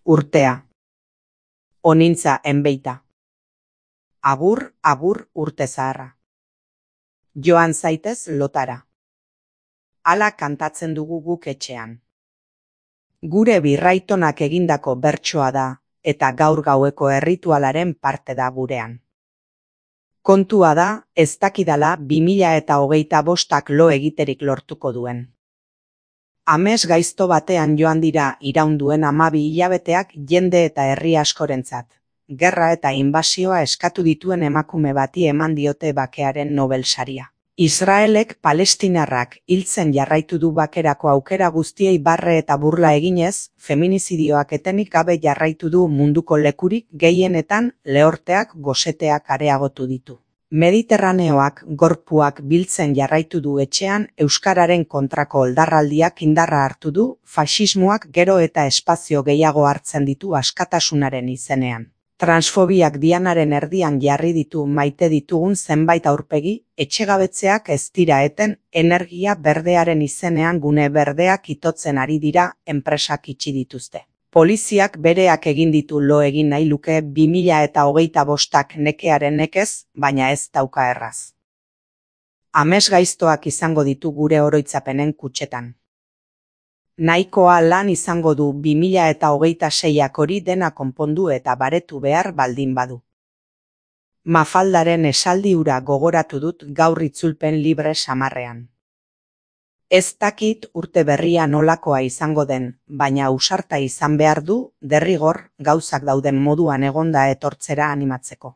Urtea. Onintza enbeita. Agur, agur urte zaharra. Joan zaitez lotara. Hala kantatzen dugu guk etxean. Gure birraitonak egindako bertsoa da, eta gaur gaueko erritualaren parte da gurean. Kontua da, ez dakidala 2025ak lo egiterik lortuko duen. Ames gaizto batean joan dira iraun duen 12 hilabeteak jende eta herri askorentzat. Gerra eta inbasioa eskatu dituen emakume bati eman diote bakearen Nobel saria. Israelek palestinarrak hiltzen jarraitu du bakerako aukera guztiei barre eta burla eginez, feminizidioak etenik gabe jarraitu du munduko lekurik gehienetan lehorteak goseteak areagotu ditu. Mediterraneoak gorpuak biltzen jarraitu du etxean euskararen kontrako oldarraldiak indarra hartu du, faxismoak gero eta espazio gehiago hartzen ditu askatasunaren izenean. Transfobiak dianaren erdian jarri ditu maite ditugun zenbait aurpegi, etxegabetzeak ez dira eten, energia berdearen izenean gune berdeak itotzen ari dira, enpresak itxi dituzte. Poliziak bereak egin ditu lo egin nahi luke 2025ak nekearen nekez, baina ez dauka erraz. Ames gaiztoak izango ditu gure oroitzapenen kutxetan. Nahikoa lan izango du 2026ak hori dena konpondu eta baretu behar baldin badu. Mafaldaren esaldi hura gogoratu dut gaur itzulpen libre samarrean. Ez dakit urte berria nolakoa izango den, baina ausarta izan behar du, derrigor, gauzak dauden moduan egonda etortzera animatzeko.